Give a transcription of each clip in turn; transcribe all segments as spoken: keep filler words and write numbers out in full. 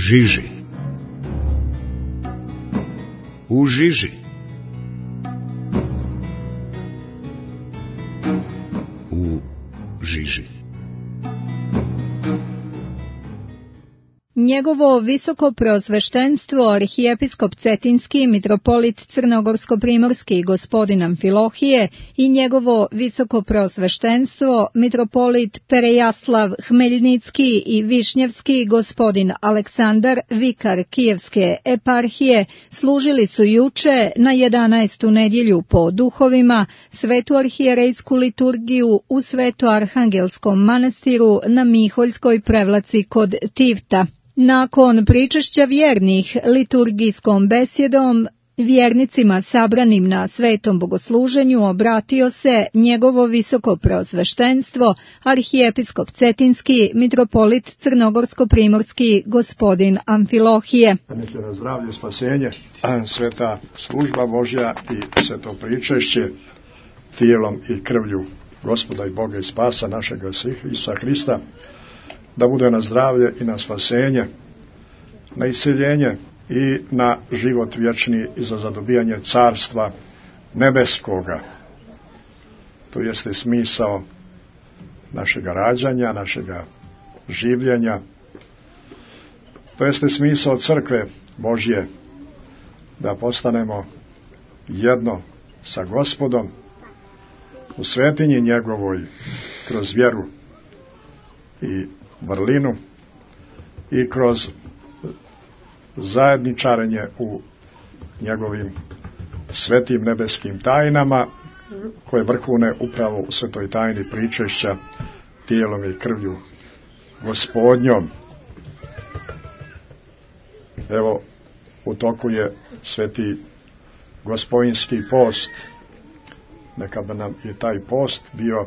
žiži. U žiži. U žiži. Njegovo visoko preosveštenstvo arhijepiskop Cetinski, mitropolit Crnogorsko-primorski gospodin Amfilohije i njegovo visoko preosveštenstvo mitropolit Perejaslav Hmeljnicki i Višnjevski gospodin Aleksandar, vikar Kijevske eparhije, služili su juče na jedanaestu nedjelju po duhovima svetu arhijerejsku liturgiju u Sveto-Arhangelskom manastiru na Miholjskoj prevlaci kod Tivta. Nakon pričešća vjernih liturgijskom besjedom, vjernicima sabranim na svetom bogosluženju obratio se njegovo visoko preosveštenstvo, arhijepiskop Cetinski, mitropolit Crnogorsko-primorski gospodin Amfilohije. Neke na zdravlje, spasenje, sveta služba Božja i sveto pričešće tijelom i krvlju Gospoda i Boga i spasa našega Isusa Hrista, da bude na zdravlje i na spasenje, na iseljenje i na život vječni i za zadobijanje carstva nebeskoga. To jeste smisao našega rađanja, našega življenja. To jeste smisao crkve Božje, da postanemo jedno sa Gospodom u svetinji njegovoj kroz vjeru i vrlinu i kroz zajedničarenje u njegovim svetim nebeskim tajnama, koje vrhune upravo u svetoj tajni pričešća tijelom i krvlju Gospodnjom. Evo, u toku je sveti Gospodinski post. Neka bi nam i taj post bio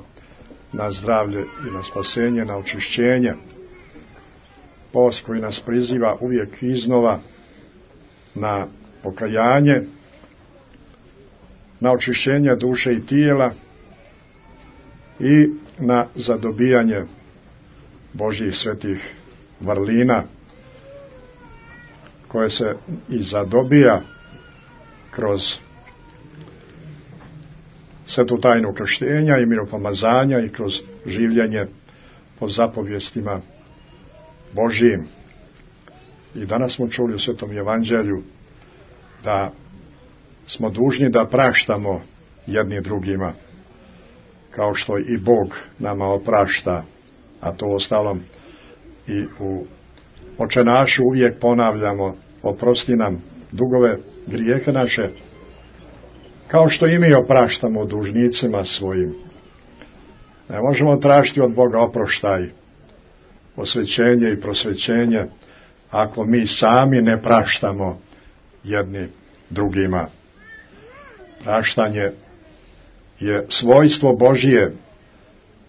na zdravlje i na spasenje, na očišćenje. Post koji nas priziva uvijek iznova na pokajanje, na očišćenje duše i tijela i na zadobijanje Božjih svetih vrlina, koje se i zadobija kroz svetu tajnu krštenja i miropomazanja i kroz življenje po zapovjestima Božjim. I danas smo čuli u Svetom Evanđelju da smo dužni da praštamo jedni drugima, kao što i Bog nama oprašta, a to ostalom i u očenašu uvijek ponavljamo: oprosti nam dugove, grijehe naše, kao što i mi opraštamo dužnicima svojim. Ne možemo tražiti od Boga oproštaj, osvećenje i prosvećenje, ako mi sami ne praštamo jedni drugima. Praštanje je svojstvo Božije.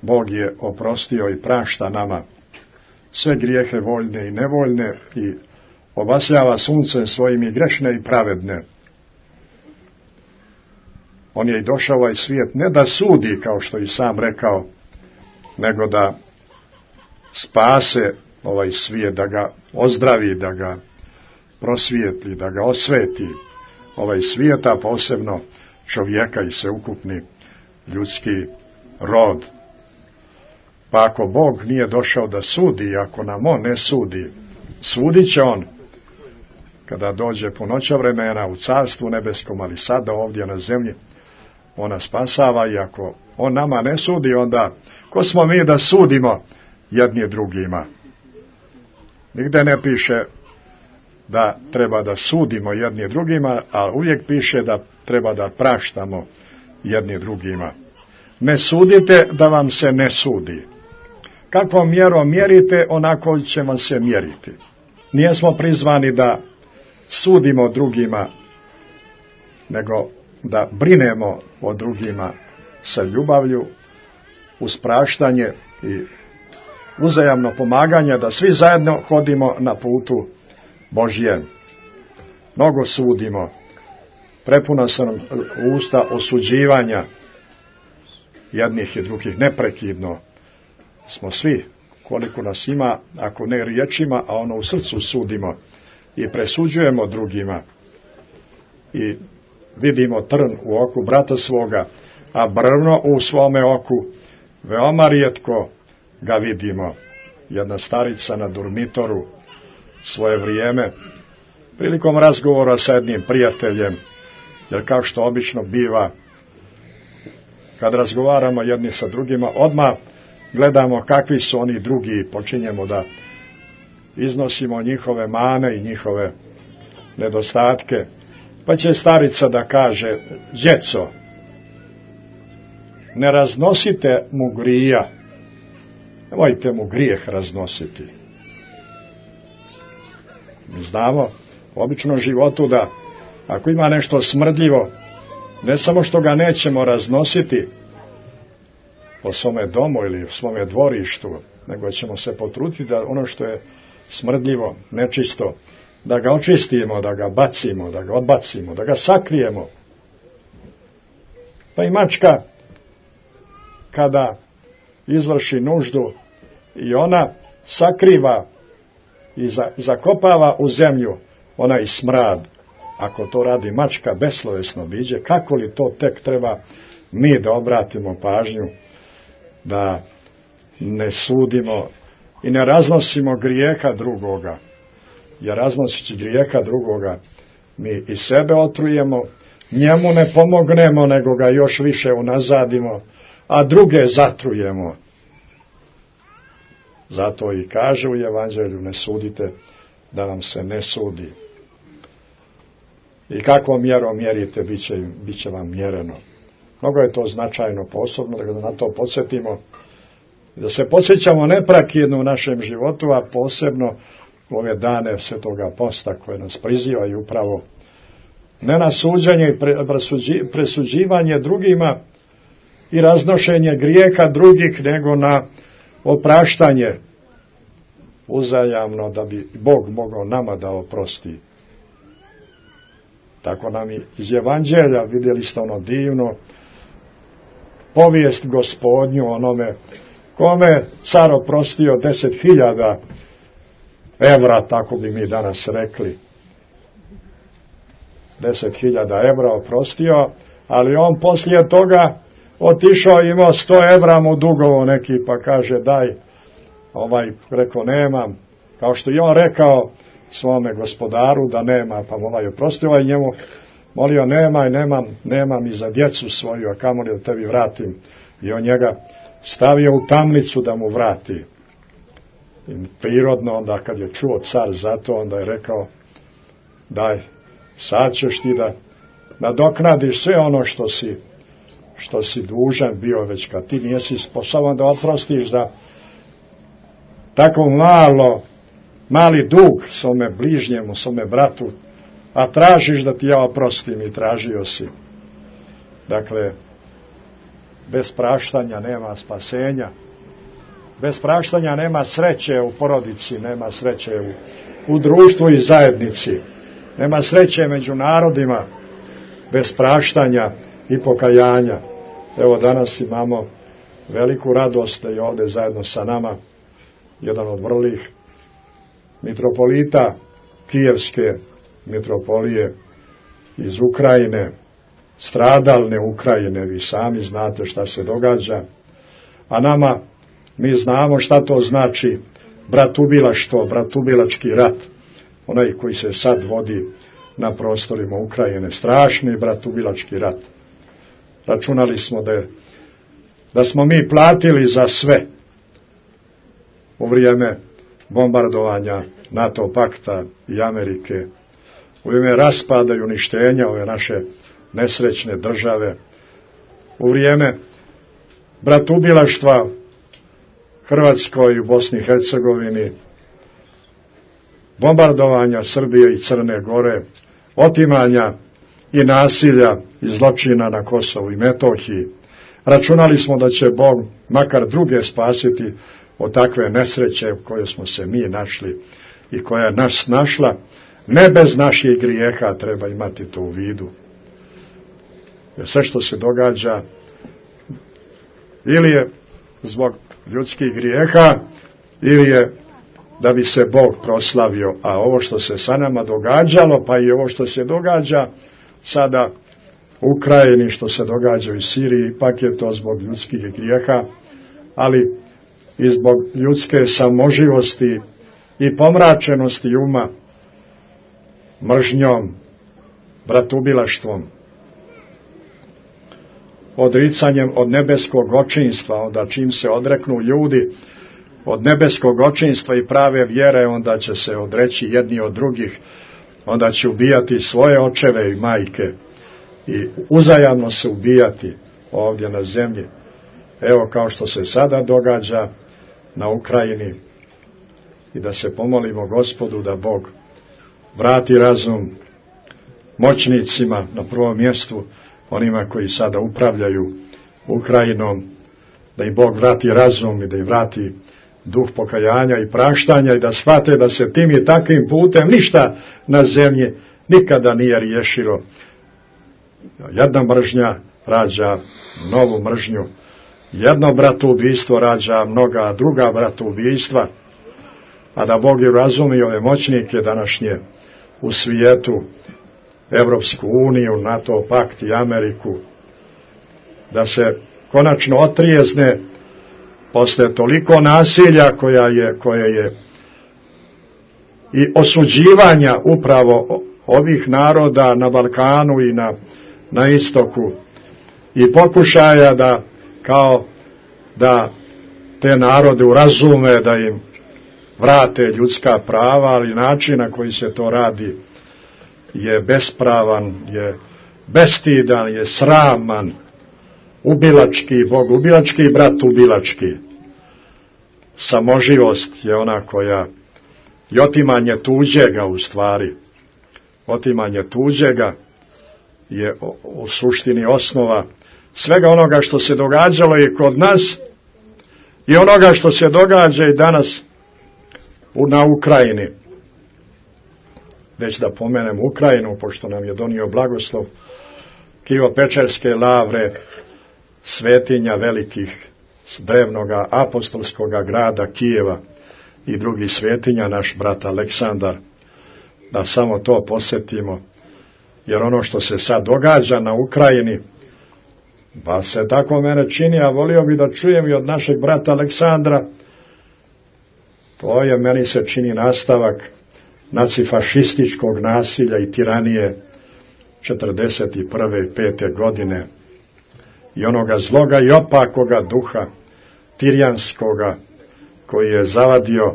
Bog je oprostio i prašta nama sve grijehe voljne i nevoljne i obasjava suncem svojim i grešne i pravedne. On je i došao ovaj svijet ne da sudi, kao što i sam rekao, nego da spase ovaj svijet, da ga ozdravi, da ga prosvijetli, da ga osveti ovaj svijet, a posebno čovjeka i sveukupni ljudski rod. Pa ako Bog nije došao da sudi, ako nam on ne sudi, sudit će on kada dođe punoća vremena u carstvu nebeskom, ali sada ovdje na zemlji ona spasava. I ako on nama ne sudi, onda ko smo mi da sudimo jedni drugima? Nigde ne piše da treba da sudimo jedni drugima, a uvijek piše da treba da praštamo jedni drugima. Ne sudite da vam se ne sudi. Kakvom mjerom mjerite, onako će vam se mjeriti. Nijesmo prizvani da sudimo drugima, nego da brinemo o drugima sa ljubavlju, uz praštanje i uzajamno pomaganje, da svi zajedno hodimo na putu Božjem. Mnogo sudimo, prepuna su nam usta osuđivanja jednih i drugih, neprekidno smo svi koliko nas ima, ako ne riječima, a ono u srcu sudimo i presuđujemo drugima i vidimo trn u oku brata svoga, a brvno u svome oku veoma rijetko ga vidimo. Jedna starica na dormitoru svoje vrijeme, prilikom razgovora sa jednim prijateljem, jer kao što obično biva, kad razgovaramo jedni sa drugima, odmah gledamo kakvi su oni drugi i počinjemo da iznosimo njihove mane i njihove nedostatke. Pa će starica da kaže: djeco, ne raznosite mu grija, nemojte mu grijeh raznositi. Mi znamo u običnom životu da ako ima nešto smrdljivo, ne samo što ga nećemo raznositi po svome domu ili u svome dvorištu, nego ćemo se potruditi da ono što je smrdljivo, nečisto, da ga očistimo, da ga bacimo, da ga odbacimo, da ga sakrijemo. Pa i mačka, kada izvrši nuždu, i ona sakriva i zakopava u zemlju onaj smrad. Ako to radi mačka beslovesno biđe, kako li to tek treba mi da obratimo pažnju, da ne sudimo i ne raznosimo grijeha drugoga. Jer raznosići grijeha drugoga, mi i sebe otrujemo, njemu ne pomognemo, nego ga još više unazadimo, a druge zatrujemo. Zato i kaže u Evanđelju: ne sudite, da vam se ne sudi. I kakvom mjerom mjerite, bit će, bit će vam mjereno. Mnogo je to značajno, posebno, da ga na to podsjetimo. Da se podsjećamo neprekidno u našem životu, a posebno u ove dane Svetoga posta koje nas prizivaju upravo ne na suđenje i presuđivanje drugima i raznošenje grijeha drugih, nego na opraštanje uzajamno, da bi Bog mogao nama da oprosti. Tako nam i iz Evanđelja vidjeli ste ono divno povijest Gospodnju, onome kome car oprostio deset hiljada evra, tako bi mi danas rekli. Deset hiljada evra oprostio, ali on poslije toga otišao, imao sto evra mu dugovo neki, pa kaže: daj. Ovaj rekao: nemam. Kao što i on rekao svome gospodaru da nema, pa mu ovaj oprostio, ovaj njemu molio: nemaj, nemam, nemam i za djecu svoju, a kamoli da tebi vratim. I on njega stavio u tamnicu da mu vrati. I prirodno onda kad je čuo car za to, onda je rekao: daj, sad ćeš ti da nadoknadiš sve ono što si što si dužan bio, već kad ti nisi sposoban da oprostiš za tako malo mali dug svome bližnjemu, svome bratu, a tražiš da ti ja oprostim, i tražio si. Dakle, bez praštanja nema spasenja, bez praštanja nema sreće u porodici, nema sreće u, u društvu i zajednici, nema sreće među narodima, bez praštanja i pokajanja. Evo, danas imamo veliku radost da je ovdje zajedno sa nama jedan od vrlih mitropolita Kijevske mitropolije iz Ukrajine, stradalne Ukrajine. Vi sami znate šta se događa, a nama, mi znamo šta to znači bratubilaštvo, bratubilački rat, onaj koji se sad vodi na prostorima Ukrajine, strašni bratubilački rat. Računali smo da, je, da smo mi platili za sve u vrijeme bombardovanja NATO pakta i Amerike, u vrijeme raspada i uništenja ove naše nesrećne države, u vrijeme bratubilaštva Hrvatskoj i u Bosni i Hercegovini, bombardovanja Srbije i Crne Gore, otimanja i nasilja i zločina na Kosovu i Metohiji. Računali smo da će Bog makar druge spasiti od takve nesreće u kojoj smo se mi našli i koja je nas našla, ne bez naših grijeha, treba imati to u vidu. Jer sve što se događa ili je zbog ljudskih grijeha, ili je da bi se Bog proslavio. A ovo što se sa nama događalo, pa i ovo što se događa sada u Ukrajini, što se događa u Siriji, ipak je to zbog ljudskih grijeha, ali i zbog ljudske samoživosti i pomračenosti uma, mržnjom, bratubilaštvom, odricanjem od nebeskog očinstva. Onda čim se odreknu ljudi od nebeskog očinstva i prave vjere, onda će se odreći jedni od drugih, onda će ubijati svoje očeve i majke i uzajamno se ubijati ovdje na zemlji. Evo kao što se sada događa na Ukrajini, i da se pomolimo Gospodu da Bog vrati razum moćnicima, na prvom mjestu onima koji sada upravljaju Ukrajinom, da im Bog vrati razum i da im vrati duh pokajanja i praštanja i da shvate da se tim i takvim putem ništa na zemlji nikada nije riješilo. Jedna mržnja rađa novu mržnju, jedno bratoubistvo rađa mnoga druga bratoubistva, a da Bog je razumi ove moćnike današnje u svijetu, Evropsku uniju, NATO pakt i Ameriku, da se konačno otrijezne posle toliko nasilja koja je, koje je i osuđivanja upravo ovih naroda na Balkanu i na, na istoku, i pokušaja da kao da te narode urazume, da im vrate ljudska prava, ali način na koji se to radi je bespravan, je bestidan, je sraman, ubilački, bogubilački i bratubilački. Samoživost je ona koja, i otimanje tuđega u stvari, otimanje tuđega je u suštini osnova svega onoga što se događalo i kod nas i onoga što se događa i danas na Ukrajini. Već da pomenem Ukrajinu, pošto nam je donio blagoslov Kijevo-Pečerske lavre, svetinja velikih drevnoga apostolskoga grada Kijeva i drugih svetinja, naš brat Aleksandar, da samo to posjetimo, jer ono što se sad događa na Ukrajini, pa se tako mene čini, a volio bi da čujem i od našeg brata Aleksandra, to je, meni se čini, nastavak nacifašističkog nasilja i tiranije četrdeset prve i pete godine i onoga zloga i opakoga duha tirijanskoga koji je zavadio,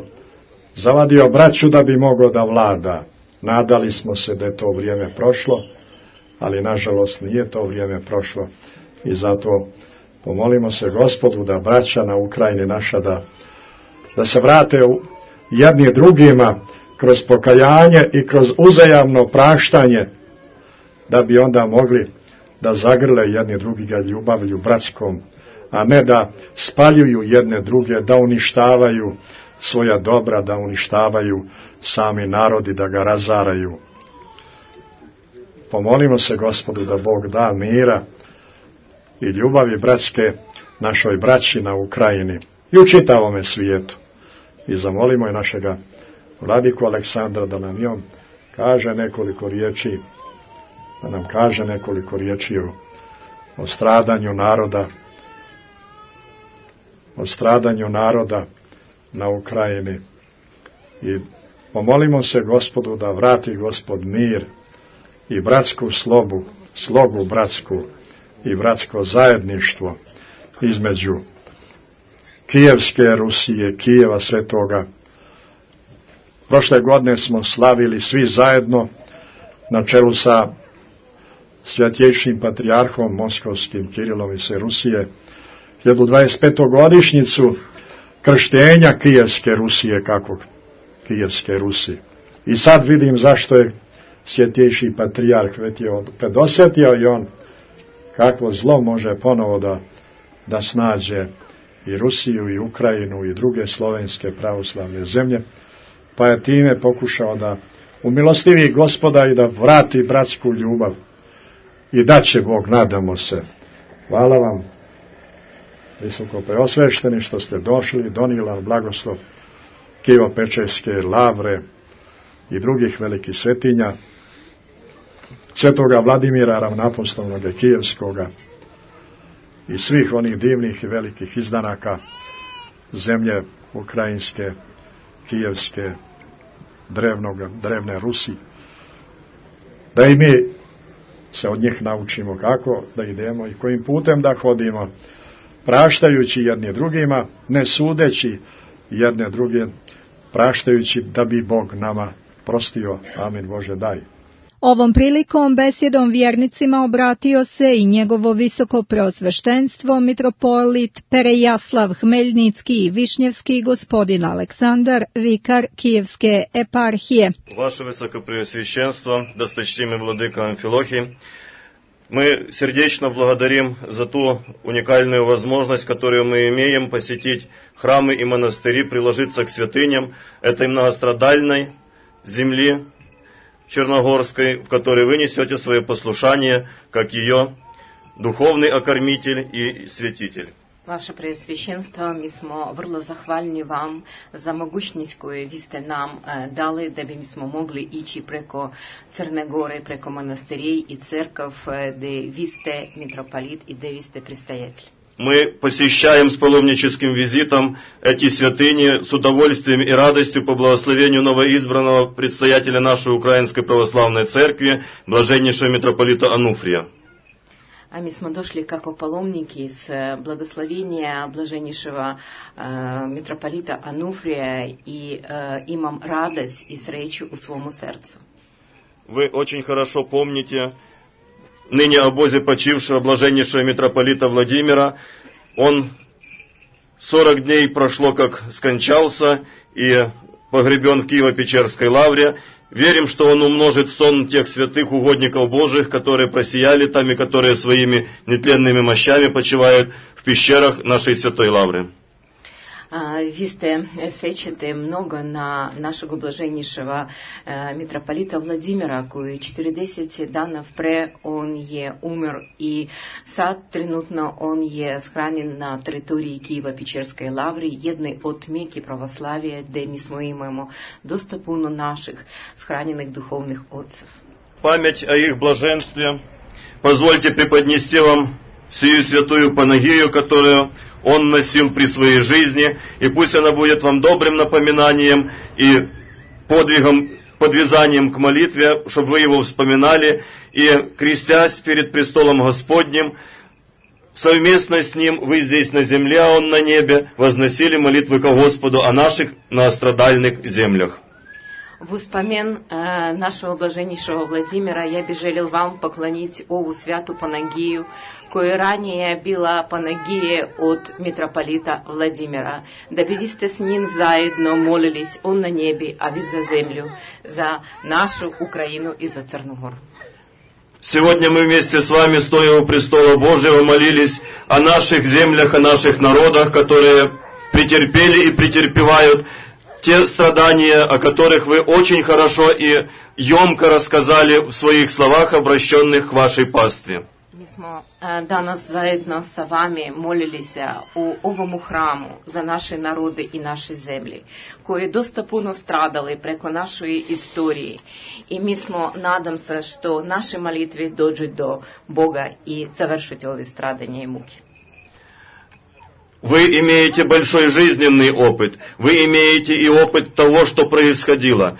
zavadio braću da bi mogao da vlada. Nadali smo se da je to vrijeme prošlo, ali nažalost nije to vrijeme prošlo i zato pomolimo se Gospodu da braća na Ukrajini naša da, da se vrate u jedni drugima kroz pokajanje i kroz uzajamno praštanje, da bi onda mogli da zagrle jedni drugiga ljubavlju bratskom, a ne da spaljuju jedne druge, da uništavaju svoja dobra, da uništavaju sami narodi, da ga razaraju. Pomolimo se Gospodu da Bog da mira i ljubavi bratske našoj braći na Ukrajini i u čitavome svijetu. I zamolimo i našega vladiku Aleksandra da nam i on kaže nekoliko riječi, da nam kaže nekoliko riječi o, o stradanju naroda, o stradanju naroda na Ukrajini. I pomolimo se Gospodu da vrati Gospod mir i bratsku slobu, slogu bratsku i bratsko zajedništvo između Kijevske Rusije, Kijeva Svetoga. Prošle godine smo slavili svi zajedno na čelu sa Svjetejšim patrijarhom Moskovskim Kirilom iz Rusije hiljadu dvadeset petu godišnjicu krštenja Kijevske Rusije, kako Kijevske Rusije. I sad vidim zašto je Svjetejši patrijarh već je predosjetio i on kakvo zlo može ponovo da, da snađe i Rusiju i Ukrajinu i druge slovenske pravoslavne zemlje, pa je time pokušao da umilostivi Gospoda i da vrati bratsku ljubav. I da će Bog, nadamo se. Hvala vam, visoko preosvešteni, što ste došli, donijela blagoslov Kijevo-Pečerske lavre i drugih velikih svetinja, svetoga Vladimira ravnoapostolnoga Kijevskoga i svih onih divnih i velikih izdanaka zemlje ukrajinske, kijevske, drevnoga, drevne Rusi, da i mi se od njih naučimo kako da idemo i kojim putem da hodimo, praštajući jedni drugima, ne sudeći jedne druge, praštajući da bi Bog nama prostio. Amin Bože daj. Ovom prilikom besjedom vjernicima obratio se i njegovo visoko preosveštenstvo mitropolit Perejaslav Hmeljnicki i Višnjevski gospodin Aleksandar, vikar Kijevske eparhije. Ваше Высокопреосвященство, досточтимый владыка Амфилохий, мы сердечно благодарим за ту уникальную возможность, которую мы имеем посетить храмы и монастыри, приложиться к святыням этой многострадальной земли Черногорской, в которой вы несете свое послушание, как ее духовный окормитель и святитель. Ваше Преосвященство, mi smo vrlo zahvalni vam za mogućnost koju vi ste nam e, dali da bi smo mogli ići preko Crne Gore, preko monastirij i crkv, e, gdje vi ste mitropolit i gdje vi ste предстоятель. Мы посещаем с паломническим визитом эти святыни с удовольствием и радостью по благословению новоизбранного предстоятеля нашей Украинской Православной Церкви, блаженнейшего митрополита Ануфрия. А мы smo došli kako паломники с благословения блаженнейшего э, митрополита Ануфрия и э, имам радость и сречу у своему сердцу. Вы очень хорошо помните ныне обозе почившего блаженнейшего митрополита Владимира. Он сорок дней прошло, как скончался и погребен в Киево-Печерской лавре. Верим, что он умножит сон тех святых угодников Божьих, которые просияли там и которые своими нетленными мощами почивают в пещерах нашей святой лавры. Vi ste sećate mnogo na našeg blaženješeva mitropolita Vladimira, koji četrdeset dana pre on je umr i sad trenutno on je shranjen na teritoriji Kijevo-Pečerske lavre, jednoj od meki pravoslavije, gdje mi smo imamo dosta puno naših shranjenih duhovnih отцев. Память о их блаженстве позвольте преподнести вам сию святую Панагию, которую он носил при своей жизни, и пусть она будет вам добрым напоминанием и подвигом, подвязанием к молитве, чтобы вы его вспоминали, и, крестясь перед престолом Господним, совместно с ним, вы здесь на земле, а он на небе, возносили молитвы ко Господу о наших многострадальных землях. В успомен э, нашего блаженнейшего Владимира я би желел вам поклонить ову святу Панагию, koja ranije bila Panagije od mitropolita Vladimira, da bi vi ste s njim zajedno molilись, on na nebi, a vi za zemlju, za našu Ukrajinu и за Crnu Goru. Сегодня мы вместе с вами, стоя у престола Божьего, молились о наших землях, о наших народах, которые претерпели и претерпевают те страдания, о которых вы очень хорошо и емко рассказали в своих словах, обращенных к вашей пастве. Mi smo danas zajedno sa vami molili se u ovom hramu za naše narode i naše zemlje, koje dosta puno stradali preko našoj istoriji. I mi smo, nadam se, što naše molitve dođu do Boga i završiti ove stradanja i muke. Вы имеете большой жизненный опыт, вы имеете и опыт того, что происходило.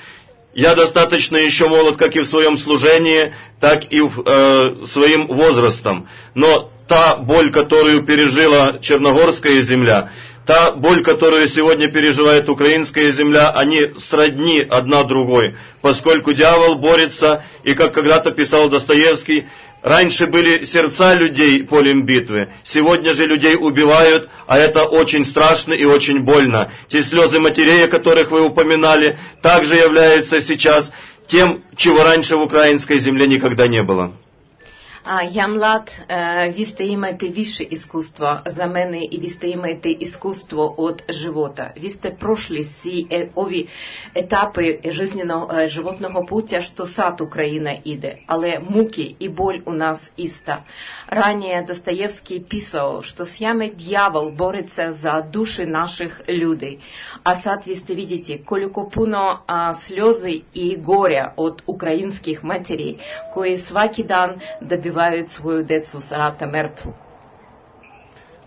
Я достаточно еще молод как и в своем служении, так и в, э, своим возрастом. Но та боль, которую пережила Черногорская земля, та боль, которую сегодня переживает украинская земля, они сродни одна другой, поскольку дьявол борется, и как когда-то писал Достоевский, раньше были сердца людей полем битвы, сегодня же людей убивают, а это очень страшно и очень больно. Те слезы матерей, о которых вы упоминали, также являются сейчас тем, чего раньше в украинской земле никогда не было. Я млад, ви сте имаєте вище искусство за мене и ви сте имаєте искусство от живота. Ви сте прошли си ови етапи жизненного животного путя, що сад Україна іде, але муки і боль у нас іста. Ранее Достоевский писал, что с яме дьявол борется за души наших людей. А сад ви сте видите, колико пуно а, слезы и горя от украинских матерей, кои сваки дан добивают свою децу с рата мертву.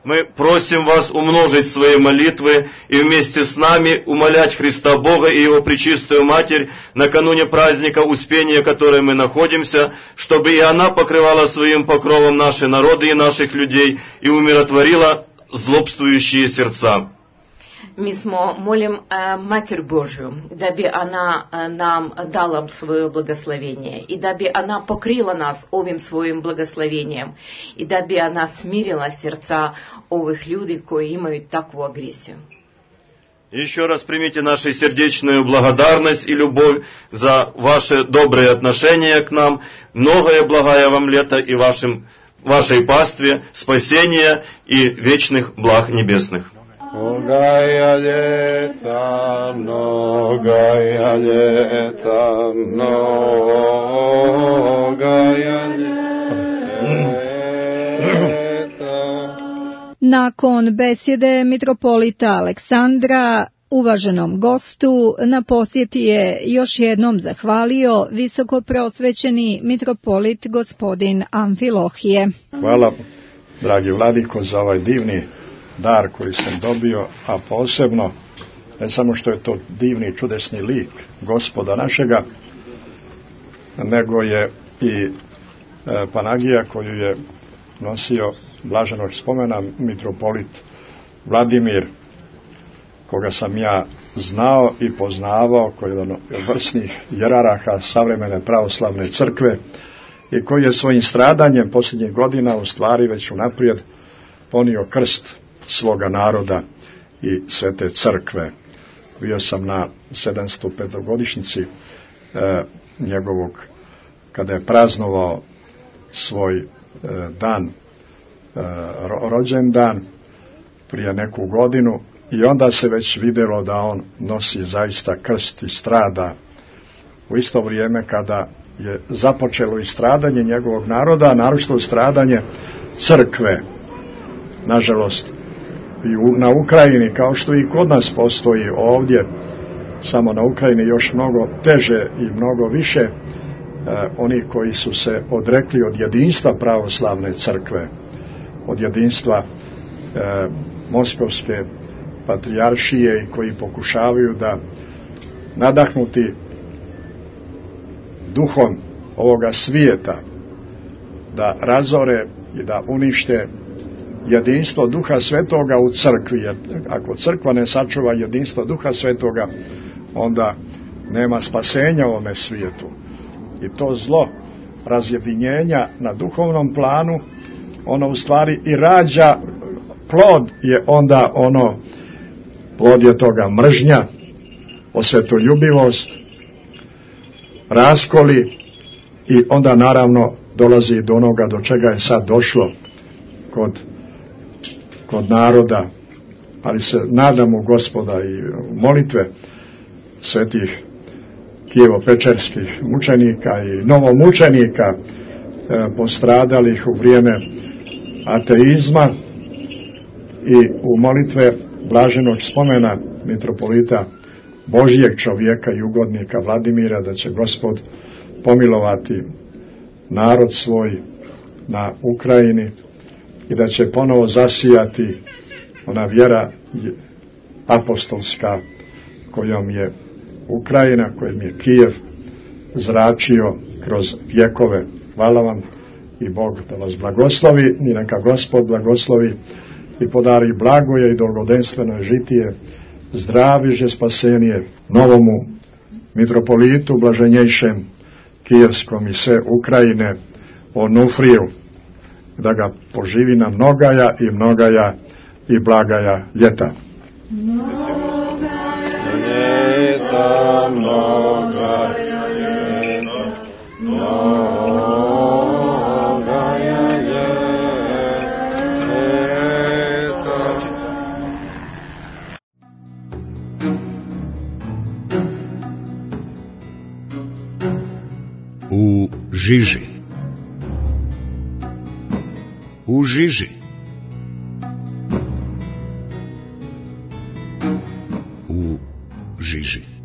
Мы просим вас умножить свои молитвы и вместе с нами умолять Христа Бога и Его Пречистую Матерь накануне праздника Успения, в котором мы находимся, чтобы и она покрывала своим покровом наши народы и наших людей и умиротворила злобствующие сердца. Мы smo молим э, Матерь Божию, даби она э, нам дала свое благословение, и даби она покрыла нас овим своим благословением, и даби она смирила сердца овых людей, кои имеют такую агрессию. Еще раз примите нашу сердечную благодарность и любовь за ваши добрые отношения к нам. Многое благая вам лето и вашим, вашей пастве, спасения и вечных благ небесных. Многая лета, многая лета, многая лета. Nakon besjede mitropolita Aleksandra, uvaženom gostu, na posjeti je još jednom zahvalio visoko prosvećeni mitropolit gospodin Amfilohije. Hvala, dragi vladiko, za ovaj divni dar koji sam dobio, a posebno ne samo što je to divni čudesni lik Gospoda našega, nego je i e, panagija koju je nosio blaženog spomena mitropolit Vladimir, koga sam ja znao i poznavao, koji je jedan od vrsnih jeraraha savremene pravoslavne crkve i koji je svojim stradanjem posljednjih godina u stvari već unaprijed ponio krst svoga naroda i svete crkve. Bio sam na sedamsto petogodišnjici e, njegovog, kada je praznovao svoj e, dan, e, rođendan prije neku godinu, i onda se već vidjelo da on nosi zaista krst i strada u isto vrijeme kada je započelo i stradanje njegovog naroda, a naročito stradanje crkve. Nažalost, i u, na Ukrajini, kao što i kod nas postoji ovdje, samo na Ukrajini još mnogo teže i mnogo više e, oni koji su se odrekli od jedinstva pravoslavne crkve, od jedinstva e, Moskovske patrijaršije i koji pokušavaju da nadahnuti duhom ovoga svijeta da razore i da unište jedinstvo Duha Svetoga u crkvi, jer ako crkva ne sačuva jedinstvo Duha Svetoga, onda nema spasenja u ovome svijetu. I to zlo razjedinjenja na duhovnom planu, ono u stvari i rađa, plod je onda ono, plod je toga mržnja, osvetoljubivost, raskoli, i onda naravno dolazi do onoga do čega je sad došlo kod kod naroda, ali se nadamo Gospoda i molitve svetih Kijevo-Pečerskih mučenika i novomučenika e, postradalih u vrijeme ateizma, i u molitve blaženog spomena mitropolita Božijeg čovjeka i ugodnika Vladimira, da će Gospod pomilovati narod svoj na Ukrajini i da će ponovo zasijati ona vjera apostolska kojom je Ukrajina, kojom je Kijev zračio kroz vjekove. Hvala vam i Bog da vas blagoslovi, i neka Gospod blagoslovi i podari blagoje i dolgodenstveno žitije, zdraviže spasenije novomu mitropolitu blaženjejšem kijevskom i sve Ukrajine, Onufriju, da ga poživi na mnogaja i mnogaja i blagaja ljeta. Ljeta, mnogaja ljeta, mnogaja žiži, u žiži, u žiži.